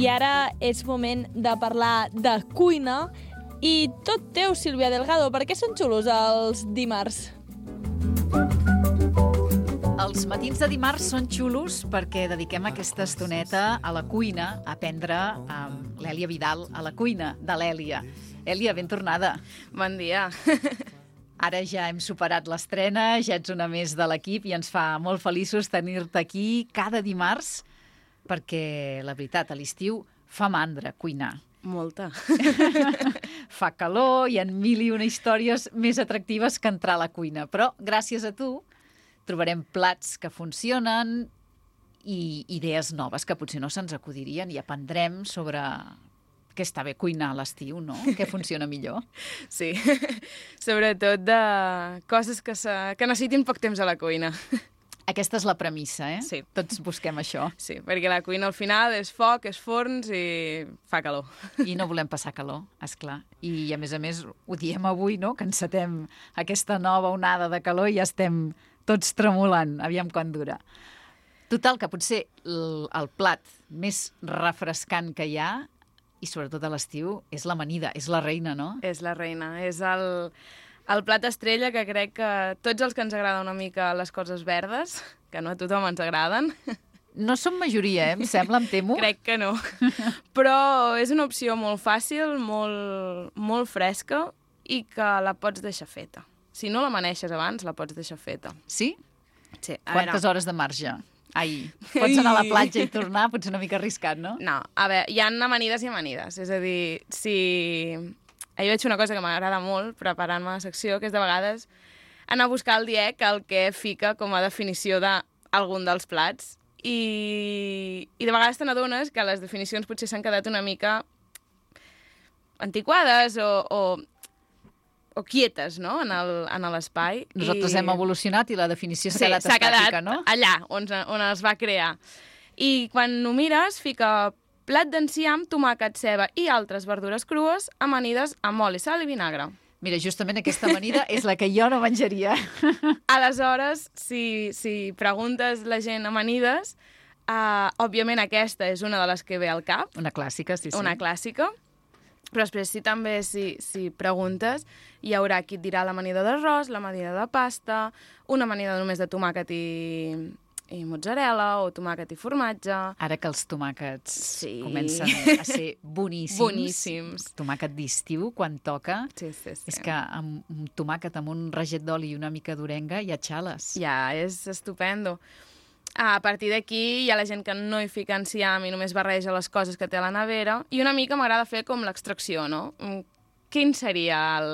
I ara és moment de parlar de cuina. I tot teu, Sílvia Delgado. Per què són xulos els dimarts? Els matins de dimarts són xulos perquè dediquem aquesta estoneta a la cuina, a aprendre amb l'Èlia Vidal a la cuina de l'Èlia. Èlia, ben tornada. Bon dia. Ara ja hem superat l'estrena, ja ets una més de l'equip i ens fa molt feliços tenir-te aquí cada dimarts perquè, la veritat, a l'estiu fa mandra cuinar. Molta. Fa calor, hi ha mil i una històries més atractives que entrar a la cuina, però gràcies a tu trobarem plats que funcionen i idees noves que potser no se'ns acudirien i aprendrem sobre què està bé cuinar a l'estiu, no? Què funciona millor. Sí, sobretot de coses que necessitin poc temps a la cuina. Aquesta és la premissa, eh? Sí. Tots busquem això. Sí, perquè la cuina al final és foc, és forns i fa calor. I no volem passar calor, esclar. I a més, ho diem avui, no?, que encetem aquesta nova onada de calor i ja estem tots tremolant. Aviam quan dura. Total, que potser el plat més refrescant que hi ha, i sobretot a l'estiu, és l'amanida, és la reina, no? És la reina, és el plat estrella que crec que tots els que ens agrada una mica les coses verdes, que no a tothom ens agraden. No som majoria, em sembla, em temo. Crec que no. Però és una opció molt fàcil, molt fresca i que la pots deixar feta. Si no l'amaneixes abans, la pots deixar feta. Sí? Sí. Quantes hores de marge? Ai, pots anar a la platja i tornar, potser una mica arriscat, no? No, a veure, hi ha amanides i amanides. És a dir, si... Ahir vaig fer una cosa que m'agrada molt, preparant-me la secció, que és de vegades anar a buscar al DIEC el que fica com a definició d'algun dels plats. I de vegades te n'adones que les definicions potser s'han quedat una mica antiquades o quietes, no?, en l'espai. Nosaltres hem evolucionat i la definició s'ha quedat estàtica, no? Allà on es va crear. I quan ho mires, fica plat d'enciam, tomàquet, ceba i altres verdures crues, amanides amb oli, sal i vinagre. Mira, justament aquesta amanida és la que jo no menjaria. Aleshores, si preguntes la gent amanides, òbviament aquesta és una de les que ve al cap. Una clàssica, sí. Una clàssica. Però després si preguntes, hi haurà qui et dirà l'amanida d'arròs, l'amanida de pasta, una amanida només de tomàquet i mozzarella o tomàquet i formatge. Ara que els tomàquets comencen a ser boníssims. Boníssims. Tomàquet d'estiu, quan toca. Sí. És que amb un tomàquet amb un raget d'oli i una mica d'orenga ja xales. Ja, és estupendo. A partir d'aquí hi ha la gent que no hi fica enciam i només barreja les coses que té a la nevera i una mica m'agrada fer com l'extracció, no? Quin seria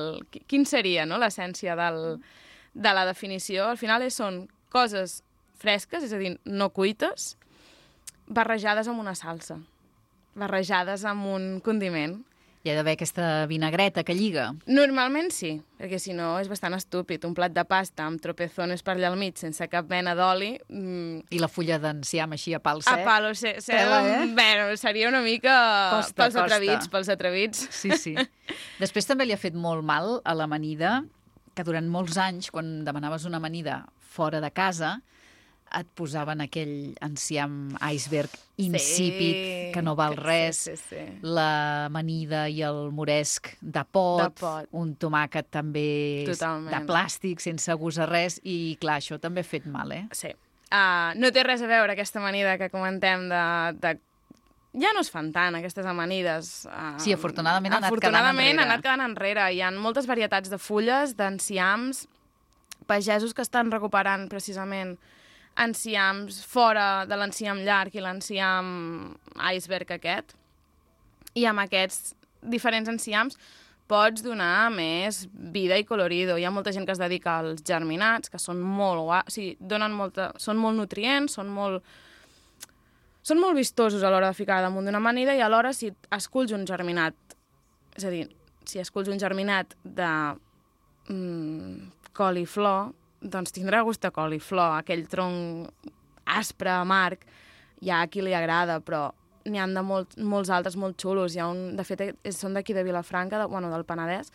no, l'essència de la definició? Al final són coses fresques, és a dir, no cuites, barrejades amb una salsa, barrejades amb un condiment. Hi ha d'haver aquesta vinagreta que lliga. Normalment sí, perquè si no és bastant estúpid. Un plat de pasta amb tropezones per allà al mig sense cap mena d'oli. I la fulla d'enciam així a pal sec. A palo sec. Bueno, seria una mica pels atrevits. Sí. Després també li ha fet molt mal a l'amanida, que durant molts anys, quan demanaves una amanida fora de casa, et posaven aquell enciam iceberg insípid, que no val res, sí. L'amanida i el moresc de pot, un tomàquet també de plàstic, sense gust a res, i clar, això també ha fet mal, eh? Sí. No té res a veure aquesta amanida que comentem de... Ja no es fan tant, aquestes amanides. Sí, afortunadament ha anat quedant enrere. Hi ha moltes varietats de fulles, d'enciams, pagesos que estan recuperant precisament enciams fora de l'enciam llarg i l'enciam iceberg aquest. I amb aquests diferents enciams pots donar més vida i colorido. Hi ha molta gent que es dedica als germinats, que són són molt nutrients, són molt vistosos a l'hora de ficar damunt d'una amanida i alhora si esculls un germinat, és a dir, si esculls un germinat de coliflor, doncs tindrà gust de coliflor, aquell tronc aspre, amarg, hi ha a qui li agrada, però n'hi ha de molts altres molt xulos. De fet, són d'aquí de Vilafranca, del Penedès,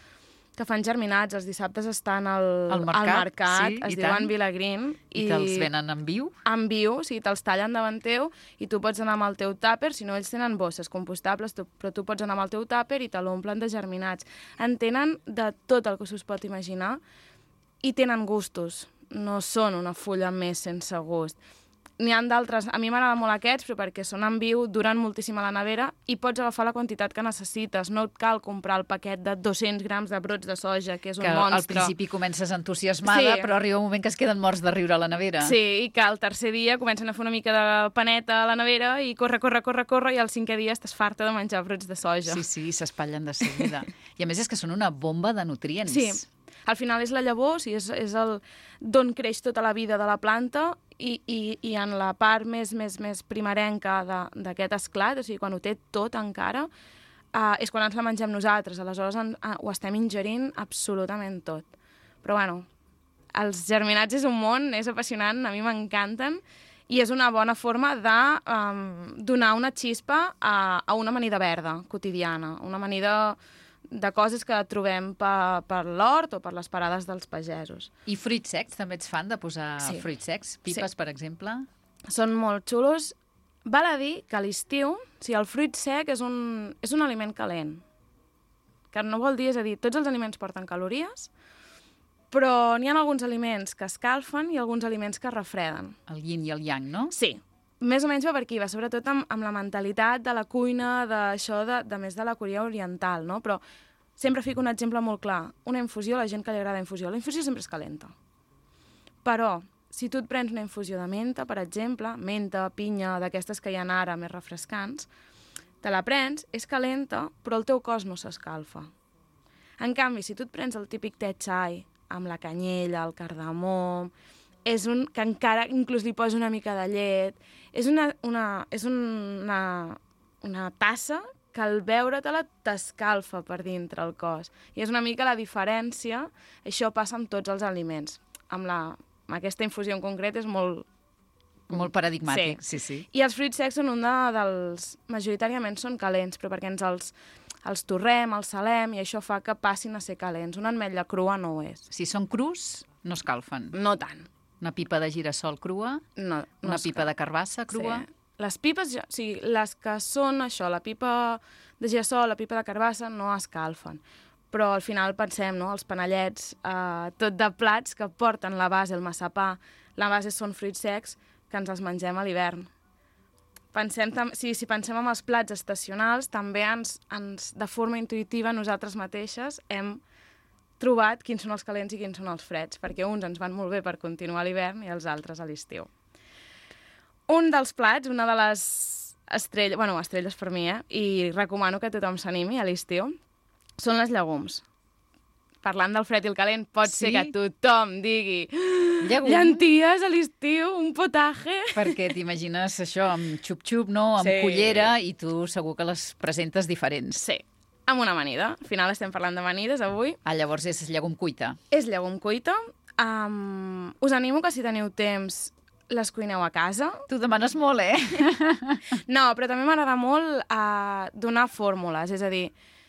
que fan germinats. Els dissabtes estan al mercat, sí, es diuen Vilagreen. I te'ls venen en viu? En viu, sí, te'ls tallen davant teu i tu pots anar amb el teu tàper, si no ells tenen bosses compostables, però tu pots anar amb el teu tàper i te l'omplen de germinats. En tenen de tot el que s'us pot imaginar i tenen gustos. No són una fulla més sense gust. N'hi ha d'altres, a mi m'agraden molt aquests, però perquè són en viu, duren moltíssim a la nevera i pots agafar la quantitat que necessites. No et cal comprar el paquet de 200 grams de brots de soja, que és un monstre. Que al principi comences entusiasmada, però arriba un moment que es queden morts de riure a la nevera. Sí, i que al tercer dia comencen a fer una mica de paneta a la nevera i corre, i al cinquè dia estàs farta de menjar brots de soja. Sí, s'espatllen de seguida. I a més és que són una bomba de nutrients. Sí, al final és la llavor, és d'on creix tota la vida de la planta i en la part més primerenca d'aquest esclat, o sigui, quan ho té tot encara, és quan ens la mengem nosaltres. Aleshores ho estem ingerint absolutament tot. Però bueno, els germinats és un món, és apassionant, a mi m'encanten, i és una bona forma de donar una xispa a una amanida verda quotidiana, una amanida de coses que trobem per l'hort o per les parades dels pagesos. I fruits secs, també ets fan de posar fruits secs? Pipes, per exemple? Són molt xulos. Val a dir que a l'estiu, el fruit sec és un aliment calent. Que no vol dir, és a dir, tots els aliments porten calories, però n'hi ha alguns aliments que escalfen i alguns aliments que refreden. El yin i el yang, no? Sí. Més o menys va per aquí, va sobretot amb la mentalitat de la cuina, d'això, de més de la Corea oriental, no? Però sempre fico un exemple molt clar. Una infusió, la gent que li agrada infusió, la infusió sempre és calenta. Però, si tu et prens una infusió de menta, per exemple, menta, pinya, d'aquestes que hi ha ara més refrescants, te la prens, és calenta, però el teu cos no s'escalfa. En canvi, si tu et prens el típic te chai, amb la canyella, el cardamom, és un que encara inclús li posa una mica de llet, és una tassa que al veure-te-la t'escalfa per dintre el cos. I és una mica la diferència, això passa amb tots els aliments. Amb aquesta infusió en concret és molt... Molt paradigmàtic, sí. I els fruits secs són majoritàriament són calents, però perquè els torrem, els salem, i això fa que passin a ser calents. Una ametlla crua no ho és. Si són crus, no escalfen. No tant. Una pipa de girassol crua? No una pipa de carbassa crua? Sí. Les pipes, les que són això, la pipa de girassol, la pipa de carbassa, no escalfen. Però al final pensem, no?, els panellets, tot de plats que porten la base, el massapà, la base són fruits secs, que ens els mengem a l'hivern. Si pensem en els plats estacionals, també de forma intuïtiva, nosaltres mateixes hem trobat quins són els calents i quins són els freds, perquè uns ens van molt bé per continuar a l'hivern i els altres a l'estiu. Un dels plats, una de les estrelles per mi, i recomano que tothom s'animi a l'estiu, són les llegums. Parlant del fred i el calent, pot ser que tothom digui llenties a l'estiu, un potaje... Perquè t'imagines això amb xup-xup, no?, amb cullera, i tu segur que les presentes diferents. Sí, amb una amanida. Al final estem parlant d'amanides avui. Llavors és llegum cuita. És llegum cuita. Us animo que si teniu temps les cuineu a casa. Tu demanes molt, No, però també m'agrada molt donar fórmules, és a dir,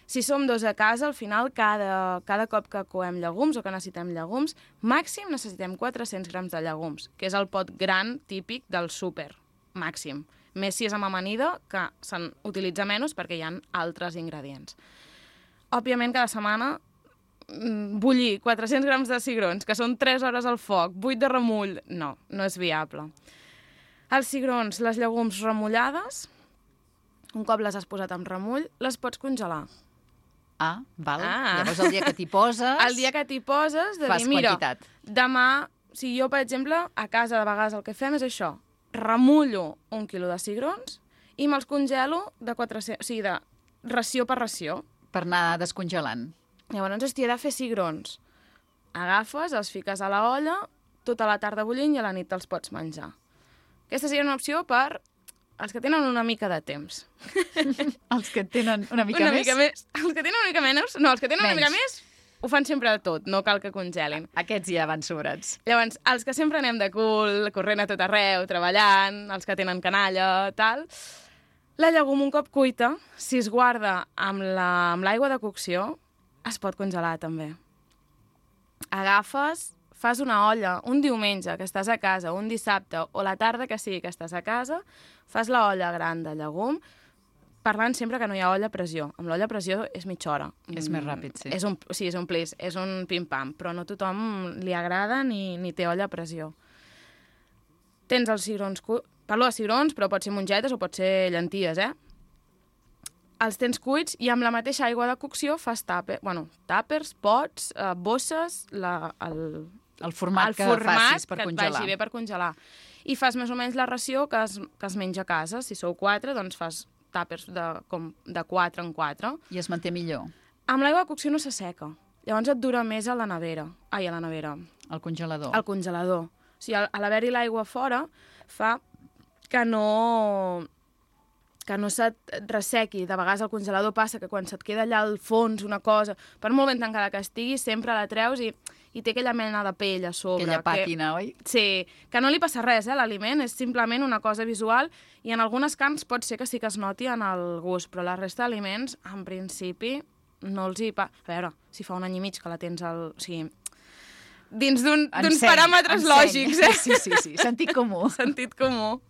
si som dos a casa, al final, cada cop que coem llegums o que necessitem llegums, màxim necessitem 400 grams de llegums, que és el pot gran típic del súper, màxim. Més si és amb amanida, que se'n utilitza menys perquè hi ha altres ingredients. Òbviament, cada setmana, bullir 400 grams de cigrons, que són 3 hores al foc, 8 de remull, no és viable. Els cigrons, les llegums remullades, un cop les has posat amb remull, les pots congelar. Val. Llavors el dia que t'hi poses... El dia que t'hi poses, de dir, mira, demà, si jo, per exemple, a casa de vegades el que fem és això, remullo 1 quilo de cigrons i me'ls congelo de ració per ració. Per anar descongelant. Llavors, he de fer cigrons. Agafes, els fiques a la olla, tota la tarda bullint i a la nit te'ls pots menjar. Aquesta seria una opció per els que tenen una mica de temps. Els que tenen una mica més? Els que tenen una mica menys. No, els que tenen una mica més ho fan sempre de tot, no cal que congelin. Aquests ja van sobrats. Llavors, els que sempre anem de cul, corrent a tot arreu, treballant, els que tenen canalla, tal, la llegum un cop cuita, si es guarda amb l'aigua de cocció, es pot congelar també. agafes, fas una olla un diumenge que estàs a casa, un dissabte o la tarda que sigui que estàs a casa, fas la olla gran de llegum, parlant sempre que no hi ha olla a pressió. Amb l'olla a pressió és mitja hora. És més ràpid, sí. És un plis, és un pim-pam, però no a tothom li agrada ni té olla a pressió. Tens els cigrons parlo de cigrons, però pot ser mongetes o pot ser llenties, Els tens cuits i amb la mateixa aigua de cocció fas tàpers, pots, bosses, el format que facis per congelar. Que et vagi bé per congelar. I fas més o menys la ració que es menja a casa. Si sou 4, doncs fas tàpers de 4 en 4. I es manté millor. Amb l'aigua de cocció no s'asseca. Llavors et dura més a la nevera. Al congelador. Al congelador. O sigui, a l'haver-hi l'aigua fora fa que no se't ressequi. De vegades al congelador passa que quan se't queda allà al fons una cosa, per molt ben tancada que estigui, sempre la treus i té aquella mena de pell a sobre. Aquella pàtina, oi? Sí, que no li passa res, l'aliment, és simplement una cosa visual i en algunes carns pot ser que sí que es noti en el gust, però la resta d'aliments, en principi, no els hi... A veure, si fa un any i mig que la tens O sigui, dins d'uns paràmetres lògics, Sí, sentit comú. Sentit comú.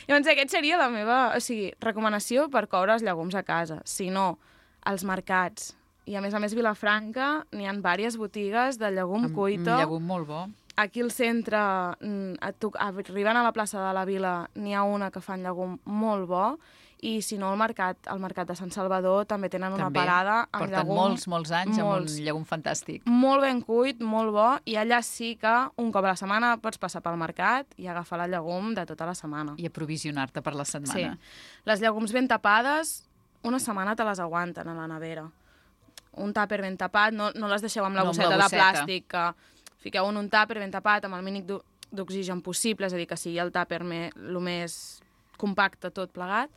Llavors, aquesta seria la meva recomanació per coure els llegums a casa. Si no, als mercats. I a més, Vilafranca n'hi ha diverses botigues de llegum cuito. Un llegum molt bo. Aquí al centre, arribant a la plaça de la Vila, n'hi ha una que fan llegum molt bo. I si no, al mercat de Sant Salvador també tenen una parada amb llegum. Porten molts anys amb un llegum fantàstic. Molt ben cuit, molt bo, i allà sí que un cop a la setmana pots passar pel mercat i agafar el llegum de tota la setmana. I aprovisionar-te per la setmana. Sí. Les llegums ben tapades, una setmana te les aguanten a la nevera. Un tàper ben tapat, no les deixeu amb la bosseta de plàstic, que fiqueu en un tàper ben tapat amb el mínim d'oxigen possible, és a dir, que sigui el tàper el més compacte tot plegat,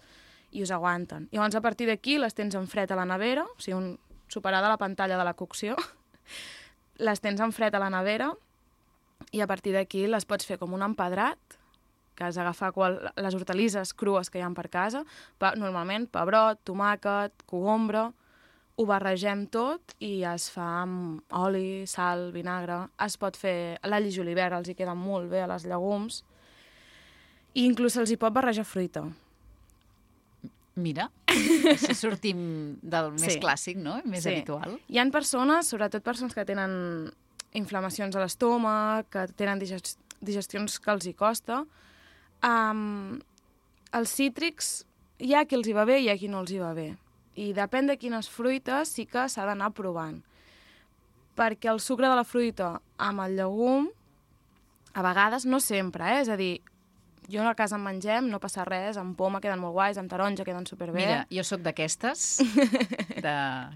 i us aguanten. I llavors, a partir d'aquí, les tens en fred a la nevera, o sigui, superada la pantalla de la cocció, les tens en fred a la nevera i a partir d'aquí les pots fer com un empedrat, que has d'agafar les hortalisses crues que hi ha per casa, normalment pebrot, tomàquet, cogombre, ho barregem tot i es fa amb oli, sal, vinagre. Es pot fer l'all i julivert, els hi queda molt bé a les llegums, i inclús se'ls hi pot barrejar fruita. Mira, així sortim del més clàssic, no? Més habitual. Hi ha persones, sobretot persones que tenen inflamacions a l'estómac, que tenen digestions que els hi costa. Els cítrics hi ha qui els hi va bé i hi ha qui no els hi va bé. I depèn de quines fruites sí que s'ha d'anar provant. Perquè el sucre de la fruita amb el llegum, a vegades, no sempre, és a dir, jo a casa en mengem, no passa res, amb poma queden molt guais, amb taronja queden superbé. Mira, jo sóc d'aquestes, de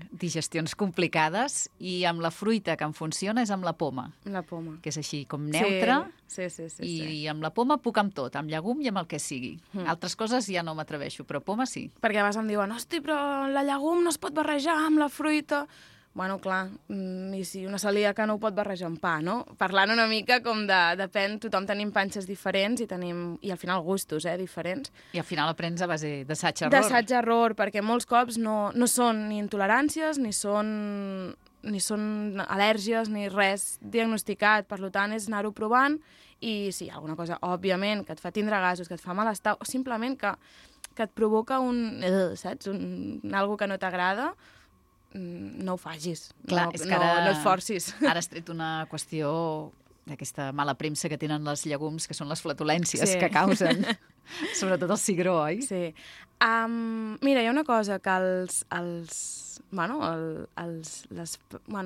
digestions complicades, i amb la fruita que em funciona és amb la poma. La poma. Que és així, com neutra. Sí. I amb la poma puc amb tot, amb llegum i amb el que sigui. Altres coses ja no m'atreveixo, però poma sí. Perquè a vegades em diuen, hosti, però la llegum no es pot barrejar amb la fruita. Bueno, clar, i si una celíaca no ho pot barrejar amb pa, no? Parlant una mica com depèn, tothom tenim panxes diferents i al final gustos, diferents. I al final aprens a base d'assaig-error. D'assaig-error, perquè molts cops no són ni intoleràncies, ni són al·lèrgies, ni res diagnosticat. Per tant, és anar-ho provant i si hi ha alguna cosa, òbviament, que et fa tindre gasos, que et fa malestar, o simplement que et provoca saps? Algo que no t'agrada, no ho facis. Clar, és que no et forcis. Ara has tret una qüestió d'aquesta mala premsa que tenen les llegums, que són les flatulències que causen, sobretot el cigró, oi? Sí. Mira, hi ha una cosa que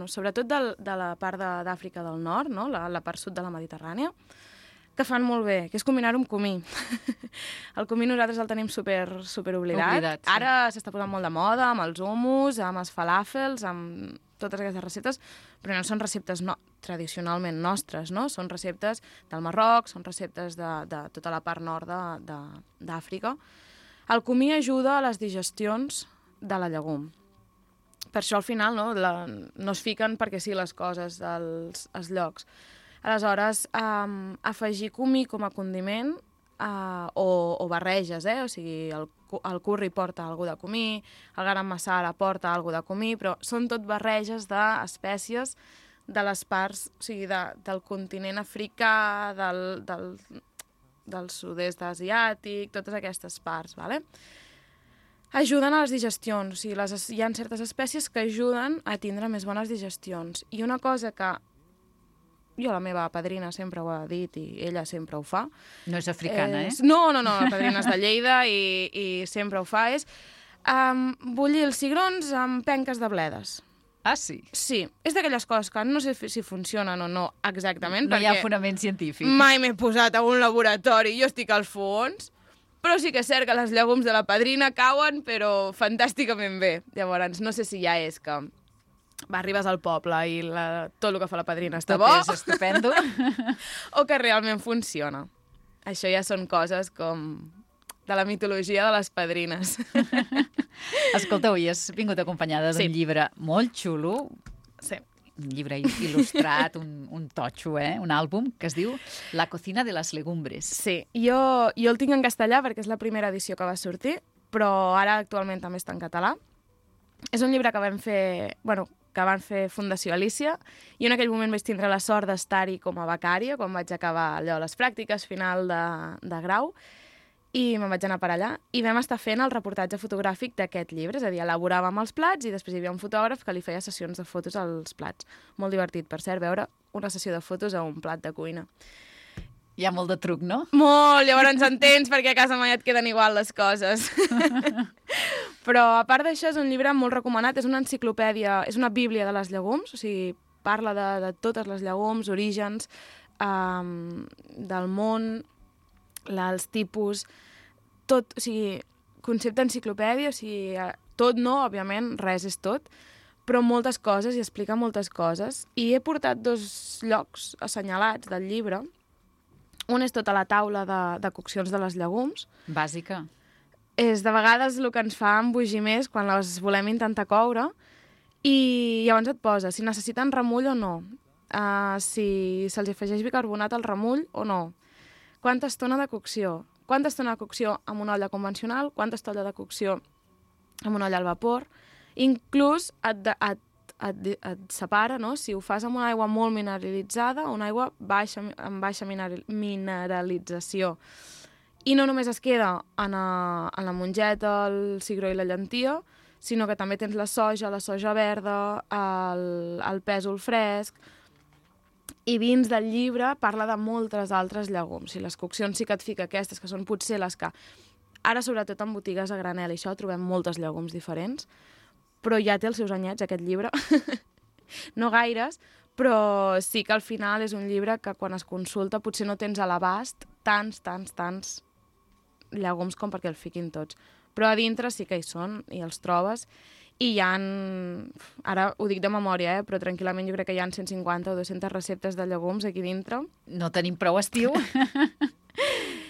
sobretot de la part d'Àfrica del Nord, no? La part sud de la Mediterrània, que fan molt bé, que és combinar-ho amb comí. El comí nosaltres el tenim super oblidat. Sí. Ara s'està posant molt de moda amb els hummus, amb els falàfels, amb totes aquestes receptes, però no són receptes tradicionalment nostres, no? Són receptes del Marroc, són receptes de tota la part nord d'Àfrica. El comí ajuda a les digestions de la llegum. Per això al final no es fiquen perquè sí les coses als llocs. Aleshores, afegir comí com a condiment o barreges, o sigui, el curri porta alguna de comí, el garam masala porta alguna de comí, però són tot barreges d'espècies de les parts, o sigui, del continent africà, del sud-est asiàtic, totes aquestes parts, ¿vale? Ajuden a les digestions, o sigui, hi ha certes espècies que ajuden a tindre més bones digestions. I una cosa que jo, la meva padrina sempre ho ha dit i ella sempre ho fa. No és africana, No, la padrina és de Lleida i sempre ho fa, és bullir els cigrons amb penques de bledes. Ah, sí? Sí, és d'aquelles coses que no sé si funcionen o no exactament. No hi ha fonament científic. Mai m'he posat a un laboratori, jo estic al fons, però sí que és cert que les llegums de la padrina cauen, però fantàsticament bé. Llavors, no sé si ja és que arribes al poble i tot el que fa la padrina està bo. Tot és estupendo. O que realment funciona. Això ja són coses com de la mitologia de les padrines. Escolta, avui has vingut acompanyada d'un llibre molt xulo. Sí. Un llibre il·lustrat, un totxo, un àlbum que es diu La cocina de les legumbres. Sí, jo el tinc en castellà perquè és la primera edició que va sortir, però ara actualment també està en català. És un llibre que van fer Fundació Alícia, i en aquell moment vaig tindre la sort d'estar-hi com a becària, quan vaig acabar allò, les pràctiques final de grau, i me'n vaig anar per allà, i vam estar fent el reportatge fotogràfic d'aquest llibre, és a dir, elaboràvem els plats i després hi havia un fotògraf que li feia sessions de fotos als plats. Molt divertit, per cert, veure una sessió de fotos a un plat de cuina. Hi ha molt de truc, no? Molt, llavors entens perquè a casa mai et queden igual les coses. Però, a part d'això, és un llibre molt recomanat, és una enciclopèdia, és una bíblia de les llegums, o sigui, parla de totes les llegums, orígens, del món, els tipus, tot, o sigui, concepte enciclopèdia, o sigui, tot no, òbviament, res és tot, però moltes coses, i explica moltes coses. I he portat 2 llocs assenyalats del llibre. Un és tota la taula de coccions de les llegums. Bàsica. És de vegades el que ens fa embogir més quan les volem intentar coure, i llavors et posa si necessiten remull o no, si se'ls afegeix bicarbonat al remull o no, quanta estona de cocció amb una olla convencional, quanta estona de cocció amb una olla al vapor. Inclús et separa, no? Si ho fas amb una aigua molt mineralitzada o una aigua amb baixa mineralització. I no només es queda en la mongeta, el cigró i la llentia, sinó que també tens la soja verda, el pèsol fresc. I dins del llibre parla de moltes altres llegums. I les coccions sí que et fica aquestes, que són potser les que... Ara, sobretot en botigues a granel, i això, trobem moltes llegums diferents, però ja té els seus anyets, aquest llibre. No gaires, però sí que al final és un llibre que quan es consulta potser no tens a l'abast tants llegums com perquè el fiquin tots. Però a dintre sí que hi són, i els trobes, i hi ha, ara ho dic de memòria, però tranquil·lament jo crec que hi ha 150 o 200 receptes de llegums aquí dintre. No tenim prou estiu.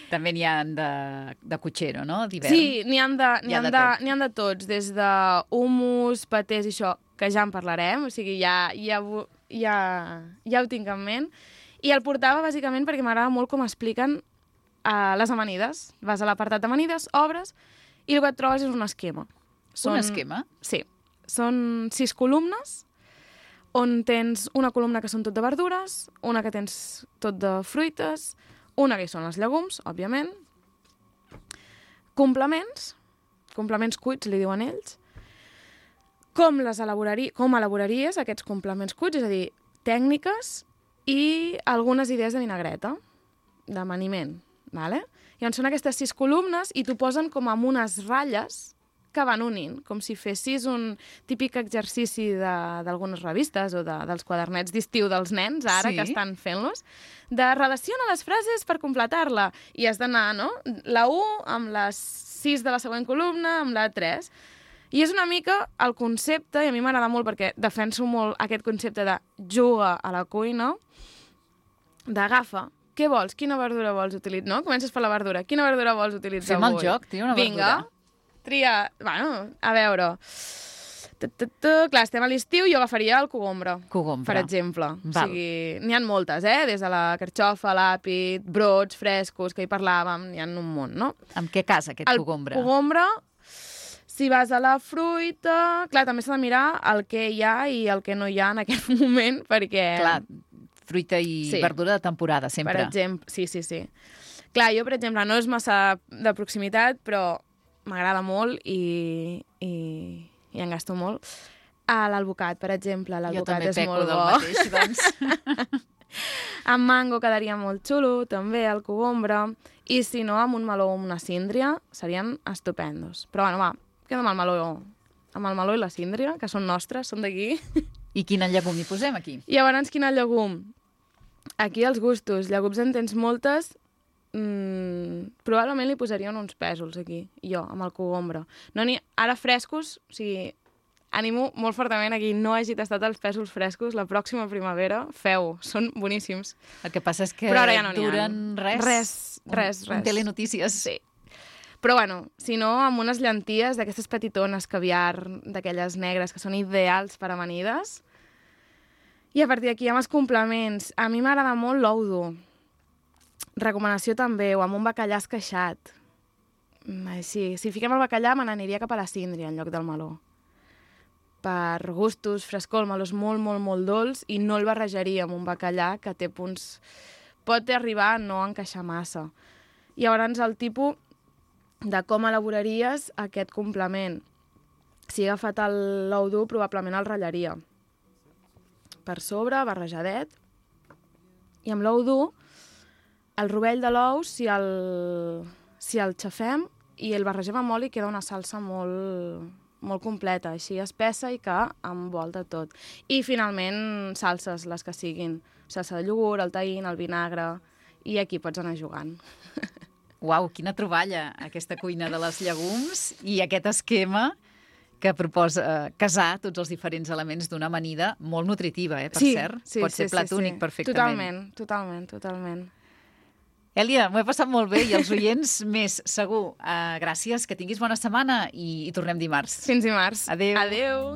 També n'hi ha de cotxero, no? D'hivern. Sí, n'hi ha de tots, des de hummus, patés i això, que ja en parlarem, o sigui, ja ho tinc en ment. I el portava bàsicament perquè m'agrada molt com expliquen les amanides. Vas a l'apartat d'amanides, obres, i el que et trobes és un esquema. Un esquema? Sí. Són 6 columnes, on tens una columna que són tot de verdures, una que tens tot de fruites, una que hi són els llegums, òbviament, complements cuits, li diuen ells, com elaboraries aquests complements cuits, és a dir, tècniques i algunes idees de vinagreta, d'amaniment, ¿vale? Llavors són aquestes 6 columnes i t'ho posen com amb unes ratlles que van unint, com si fessis un típic exercici d'algunes revistes o dels quadernets d'estiu dels nens, ara que estan fent-los, de relaciona les frases per completar-la. I has d'anar, no? La 1 amb les 6 de la següent columna, amb la 3. I és una mica el concepte, i a mi m'agrada molt perquè defenso molt aquest concepte de juga a la cuina, d'agafa, què vols? Quina verdura vols utilitzar? No? Comences per la verdura. Quina verdura vols utilitzar avui? Fem el joc, tria una verdura. Vinga, tria... Bueno, a veure... Clar, estem a l'estiu, jo agafaria el cogombre. Per exemple. O sigui, n'hi ha moltes, des de la carxofa, l'àpid, brots frescos, que hi parlàvem, n'hi ha un munt, no? Amb què casa aquest cogombre? El cogombre, Si vas a la fruita... Clar, també s'ha de mirar el que hi ha i el que no hi ha en aquest moment, perquè... Clar, fruita i verdura de temporada, sempre. Per exemple, sí. Clar, jo, per exemple, no és massa de proximitat, però m'agrada molt i en gasto molt. L'alvocat, per exemple, l'alvocat és molt bo. Jo també peco del mateix, doncs. Amb mango quedaria molt xulo, també, el cogombre. I si no, amb un meló o una síndria serien estupendos. Però bueno, va, queda amb el meló i la síndria, que són nostres, són d'aquí. I quin llegum hi posem aquí? Llavors, quin llegum? Aquí els gustos. Llegums en tens moltes. Probablement li posarien uns pèsols aquí, jo, amb el cogombre. No ara frescos, o sigui, animo molt fortament a qui no hagi tastat els pèsols frescos, la pròxima primavera, feu, són boníssims. El que passa és que ja no duren res. Res. Un telenotícies. Sí. Però bueno, si no, amb unes llenties d'aquestes petitones caviar, d'aquelles negres que són ideals per amanides. I a partir d'aquí, amb els complements, a mi m'agrada molt l'ou dur. Recomanació també, o amb un bacallà esqueixat. Sí, si fiquem el bacallà, me n'aniria cap a la síndria en lloc del meló. Per gustos, frescor, el meló és molt, molt, molt dolç i no el barrejaria amb un bacallà que té punts... Pot arribar a no encaixar massa. Llavors, el tipus de com elaboraries aquest complement. Si he agafat l'ou dur, probablement el ratllaria. Per sobre, barrejadet. I amb l'ou dur, el rovell de l'ou, si el xafem i el barregem amb oli, queda una salsa molt completa, així espessa i que envolta tot. I finalment salses, les que siguin. Salsa de iogurt, el taïn, el vinagre, i aquí pots anar jugant. Uau, quina troballa, aquesta cuina de les llegums i aquest esquema que proposa casar tots els diferents elements d'una amanida molt nutritiva, per cert. Pot ser plat únic perfectament. Totalment. Èlia, m'ho he passat molt bé i els oients més, segur. Gràcies, que tinguis bona setmana i tornem dimarts. Fins dimarts. Adéu. Adéu.